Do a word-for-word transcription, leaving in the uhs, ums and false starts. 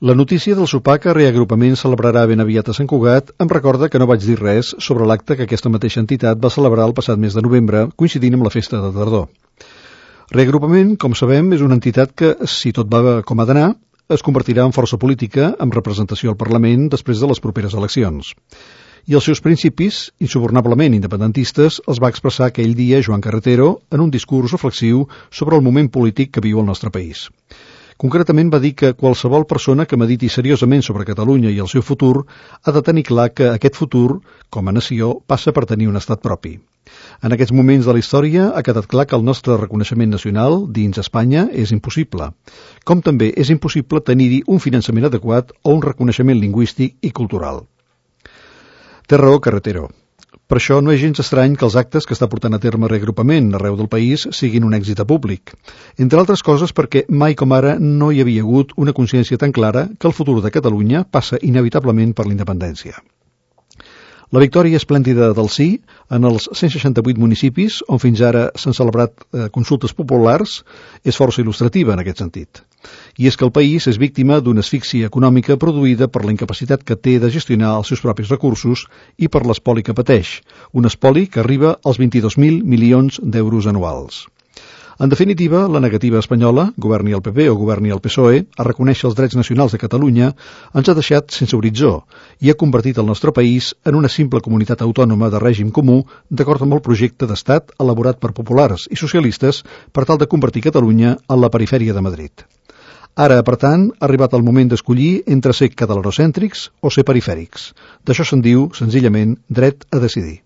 La notícia del sopar que Reagrupament celebrarà ben aviat a Sant Cugat em recorda que no vaig dir res sobre l'acte que aquesta mateixa entitat va celebrar el passat mes de novembre, coincidint amb la festa de tardor. Reagrupament, com sabem, és una entitat que, si tot va com ha d'anar, es convertirà en força política amb representació al Parlament després de les properes eleccions. I els seus principis, insubornablement independentistes, els va expressar aquell dia Joan Carretero en un discurs reflexiu sobre el moment polític que viu el nostre país. Concretament va dir que qualsevol persona que mediti seriosament sobre Catalunya i el seu futur ha de tenir clar que aquest futur, com a nació, passa per tenir un estat propi. En aquests moments de la història ha quedat clar que el nostre reconeixement nacional dins Espanya és impossible, com també és impossible tenir-hi un finançament adequat o un reconeixement lingüístic i cultural. Té raó Carretero. Per això no és gens estrany que els actes que està portant a terme Reagrupament arreu del país siguin un èxit a públic. Entre altres coses perquè mai com ara no hi havia hagut una consciència tan clara que el futur de Catalunya passa inevitablement per la independència. La victòria esplèndida del sí en els cent seixanta-vuit municipis on fins ara s'han celebrat eh, consultes populars és força il·lustrativa en aquest sentit. I és que el país és víctima d'una asfíxia econòmica produïda per la incapacitat que té de gestionar els seus propis recursos i per l'espoli que pateix, un espoli que arriba als vint-i-dos mil milions d'euros anuals. En definitiva, la negativa espanyola, governi el P P o governi el P S O E, a reconèixer els drets nacionals de Catalunya, ens ha deixat sense horitzó i ha convertit el nostre país en una simple comunitat autònoma de règim comú d'acord amb el projecte d'estat elaborat per populars i socialistes per tal de convertir Catalunya en la perifèria de Madrid. Ara, per tant, ha arribat el moment d'escollir entre ser catalanocèntrics o ser perifèrics. D'això se'n diu, senzillament, dret a decidir.